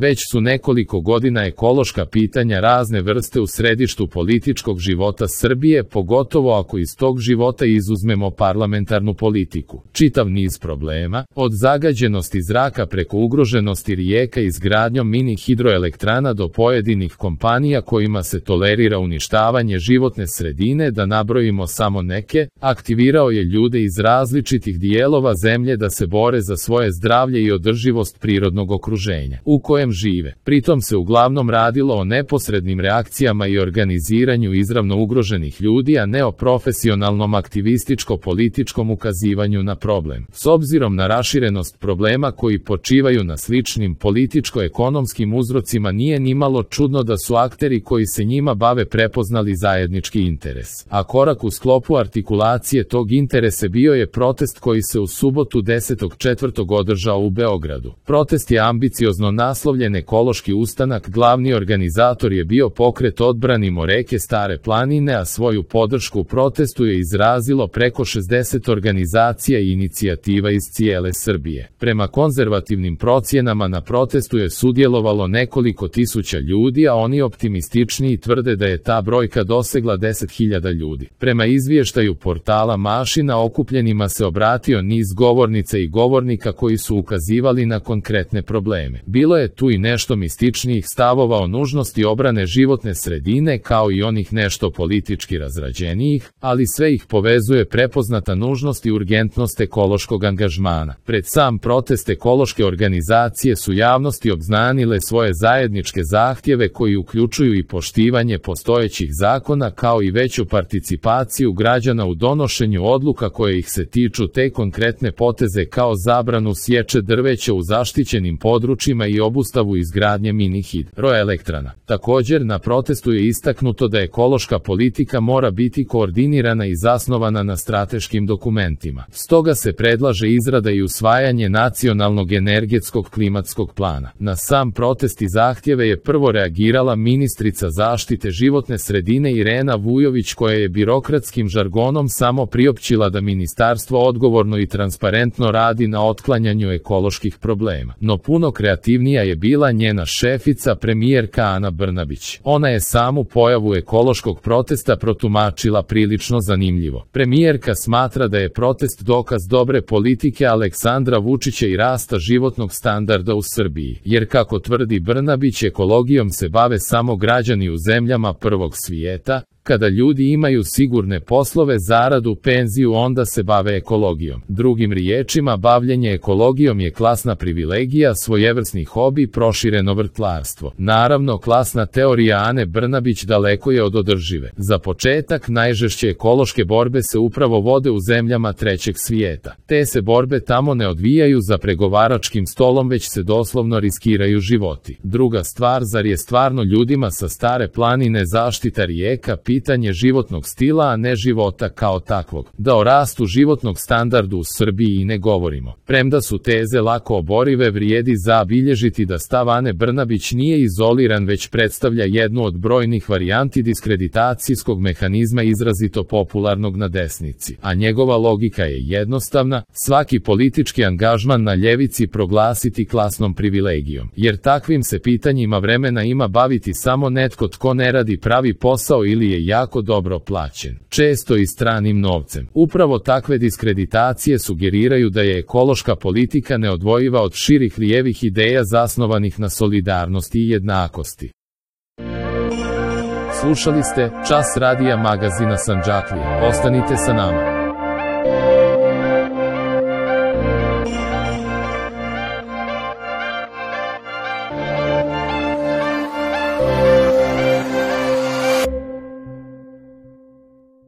Već su nekoliko godina ekološka pitanja razne vrste u središtu političkog života Srbije, pogotovo ako iz tog života izuzmemo parlamentarnu politiku. Čitav niz problema, od zagađenosti zraka preko ugroženosti rijeka izgradnjom mini hidroelektrana do pojedinih kompanija kojima se tolerira uništavanje životne sredine, da nabrojimo samo neke, aktivirao je ljude iz različitih dijelova zemlje da se bore za svoje zdravlje i održivost prirodnog okruženja u kojem žive. Pritom se uglavnom radilo o neposrednim reakcijama i organiziranju izravno ugroženih ljudi, a ne o profesionalnom aktivističko-političkom ukazivanju na problem. S obzirom na raširenost problema koji počivaju na sličnim političko-ekonomskim uzrocima, nije nimalo čudno da su akteri koji se njima bave prepoznali zajednički interes. A korak u sklopu artikulacije tog interesa bio je protest koji se u subotu 10.4. održao u Beogradu. Protest je ambiciozno naslovljen Ekološki ustanak, glavni organizator je bio pokret Odbranimo reke Stare planine, a svoju podršku protestu je izrazilo preko 60 organizacija i inicijativa iz cijele Srbije. Prema konzervativnim procjenama na protestu je sudjelovalo nekoliko tisuća ljudi, a oni optimističniji tvrde da je ta brojka dosegla 10.000 ljudi. Prema izvještaju portala Mašina, okupljenima se obratio niz govornica i govornika koji su ukazivali na konkretne probleme. Bilo je tu i nešto mističnijih stavova o nužnosti obrane životne sredine, kao i onih nešto politički razrađenijih, ali sve ih povezuje prepoznata nužnost i urgentnost ekološkog angažmana. Pred sam protest ekološke organizacije su javnosti obznanile svoje zajedničke zahtjeve koji uključuju i poštivanje postojećih zakona, kao i veću participaciju građana u donošenju odluka koje ih se tiču, te konkretne poteze kao zabranu sječe drveća u zaštićenim područjima i obustavu izgradnje mini hidroelektrana. Također, na protestu je istaknuto da ekološka politika mora biti koordinirana i zasnovana na strateškim dokumentima. Stoga se predlaže izrada i usvajanje nacionalnog energetskog klimatskog plana. Na sam protest i zahtjeve je prvo reagirala ministrica zaštite životne sredine Irena Vujović, koja je birokratskim žargonom samo priopćila da ministarstvo odgovorno i transparentno radi na otklanjanju ekoloških problema. No puno kreativnija je bila njena šefica, premijerka Ana Brnabić. Ona je samu pojavu ekološkog protesta protumačila prilično zanimljivo. Premijerka smatra da je protest dokaz dobre politike Aleksandra Vučića i rasta životnog standarda u Srbiji, jer kako tvrdi Brnabić, ekologijom se bave samo građani u zemljama prvog svijeta. Kada ljudi imaju sigurne poslove, zaradu, penziju, onda se bave ekologijom. Drugim riječima, bavljenje ekologijom je klasna privilegija, svojevrsni hobi, prošireno vrtlarstvo. Naravno, klasna teorija Ane Brnabić daleko je od održive. Za početak, najžešće ekološke borbe se upravo vode u zemljama trećeg svijeta. Te se borbe tamo ne odvijaju za pregovaračkim stolom, već se doslovno riskiraju životi. Druga stvar, zar je stvarno ljudima sa Stare planine zaštita rijeka pitanje životnog stila, a ne života kao takvog? Da o rastu životnog standardu u Srbiji i ne govorimo. Premda su teze lako oborive, vrijedi zabilježiti da stav Ane Brnabić nije izoliran, već predstavlja jednu od brojnih varijanti diskreditacijskog mehanizma izrazito popularnog na desnici. A njegova logika je jednostavna: svaki politički angažman na ljevici proglasiti klasnom privilegijom. Jer takvim se pitanjima vremena ima baviti samo netko tko ne radi pravi posao ili je jako dobro plaćen, često i stranim novcem. Upravo takve diskreditacije sugeriraju da je ekološka politika neodvojiva od širih lijevih ideja zasnovanih na solidarnosti i jednakosti. Slušali ste Čas radija magazina Sandžaklija. Ostanite sa nama.